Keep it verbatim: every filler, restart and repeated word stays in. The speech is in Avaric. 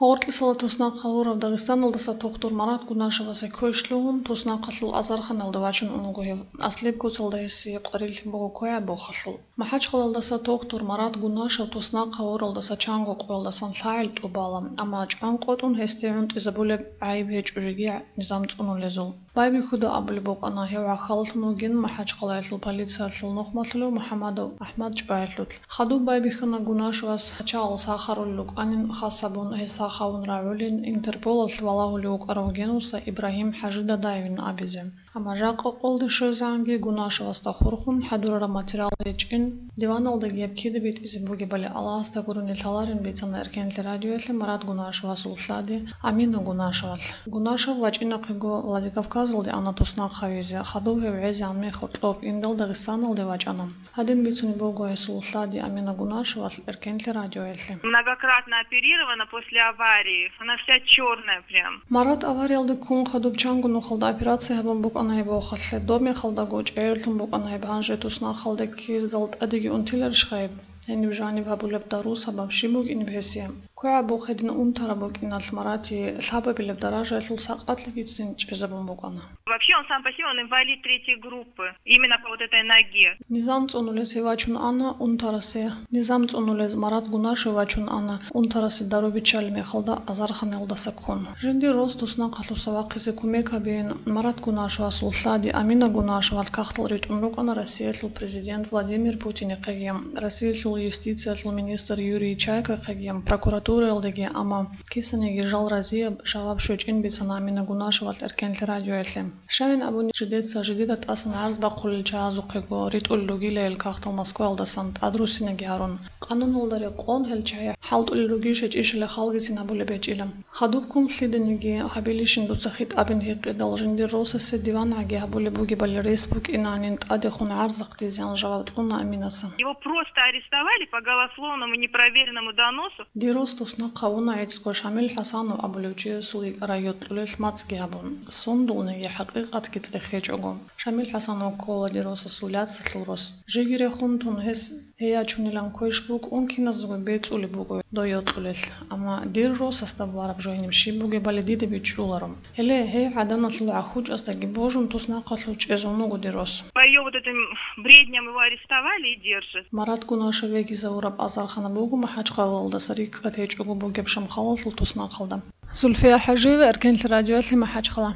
Гъоркьисала туснахъ гьавурав Дагъистаналдаса тухтур Марат Гунашевасе квеш лъугьун, туснахъалъул азарханалда вачун унаго гьев. Аслияб куцалда гьесие къварилъи буго квегӀаб бохалъул. МахӀачхъалалдаса тухтур Марат Гунашев туснахъ гьавуралдаса чанго къоялдасан лъагӀел тӀубала, амма чӀван къотӀун гьесде гӀунтӀизабулеб гӀайиб гьечӀо жеги низам цӀунулезул. Байбихьуда абулеб букӀана, гьев гӀахьаллъун вугин МахӀачхъалаялъул полициялъул нухмалъулев МухӀамадов АхӀмад чӀваялъулъ. Хадуб байбихьана Гунашевас гьачагъал сахарулел рукӀанин, хас гьабун гьес сахавун рагӀулин, Интерполалъ валагьулев вукӀарав генуса Ибрагьим ХӀажидадаевин абизе. Амма жакъа къолде щвезегӀанги Гунашевасда хурхун хӀадурараб материал гьечӀин, диваналдаги гьеб кида битӀизе бугебали Аллагьасда гурони лъаларин бицана Эркенлъи радиоялъе Марат Гунашевасул лъади Амина Гунашевалъ. Гунашев вачӀинахъего Владикавказалде ана туснахъ гьавизе, хадуб гьев гӀезегӀан мехалъ цӀоб индал Дагъистаналде вачӀана. Гьадин бицунеб буго гьесул лъади Амина Гунашевалъ Эркенлъи радиоялъе. Многократно оперирована после аварии. Она вся чёрная прям. Марат авариялде ккун хадуб чанго нухалда операция гьабун букӀана гьеб вохалъе. Доб мехалдаго чӀегӀерлъун букӀана гьеб, гьанже туснахъалде ккездал тӀадеги унтиларищха гьеб? Гьениб жаниб гьабулеб дару сабаб щиб букӀинеб гьесие? КвегӀабухъ гьедин унтараб букӀиналъ Маратие лъабабилеб даражаялъул сакъатлъигицин чӀезабун букӀана. Вообще, он сам по себе, он инвалид третьей группы, именно по вот этой ноге. Низам цӀунулез гьев вачун ана унтарасе. Низам цӀунулез Марат Гунашев вачун ана унтарасе дару биччалеб мехалда азарханалдаса ккун. Жиндир рос туснахъалъуса вахъизе кумек гьабеян Марат Гунашевасул лъади Амина Гунашевалъ кагътал ритӀун рукӀана Россиялъул президент Владимир Путинихъеги, Россиялъул юстициялъул министр Юрий Чайкахъеги, прокуратураялдеги, амма кисаниги жал разияб жаваб щвечӀин бицана Амина Гунашевалъ Эркенлъи радиоялъе. Щайин абуни, жидеца жидеда тӀасан гӀарз бахъулел чагӀазухъего ритӀулел ругилайил кагътал Москваялдасан тӀадруссинаги гьарун, къануналда рекъон гьел чагӀи хӀалтӀулел ругищ гьечӀищали халгицин гьабулеб гьечӀила. Хадубккун лъиданиги гьабилищин дуца хитӀабин гьикъидал, жиндир росасе диван гӀаги гьабулеб бугебали рес букӀинанин тӀадехун гӀарзахъ дизеян жаваб кьуна Аминаса. Его просто арестовали по голословному непроверенному доносу. Дир рос туснахъ гьавуна гӀицӀго Шамил ХӀасанов абулев чиясул йикӀа райотлъулел мацӀги гьабун, сундулниги хӀакъикъатги цӀехечӀого. Шамил ХӀасанов ккола дир росасул яцалъул рос. Жеги рехун тун гьес гьей ячунилан квеш букӀун киназдаго бецӀулеб буго дой йокьулелъ. Амма дир росасда бараб жо гьениб щиб бугебали дида бичӀчӀуларо. Гьеле, гьей гӀаданалъул гӀахьучӀаздаги божун туснахъалъув чӀезун вуго дир рос. По её вот этим бредням его арестовали и держат. Марат Гунашев вегизавураб азархана буго МахӀачхъалалдаса рикӀкӀад гьечӀого бугеб Шамхалалъул туснахъалда. Зульфия ХӀажиева, Эркенлъи радиоялъе, МахӀачхъала.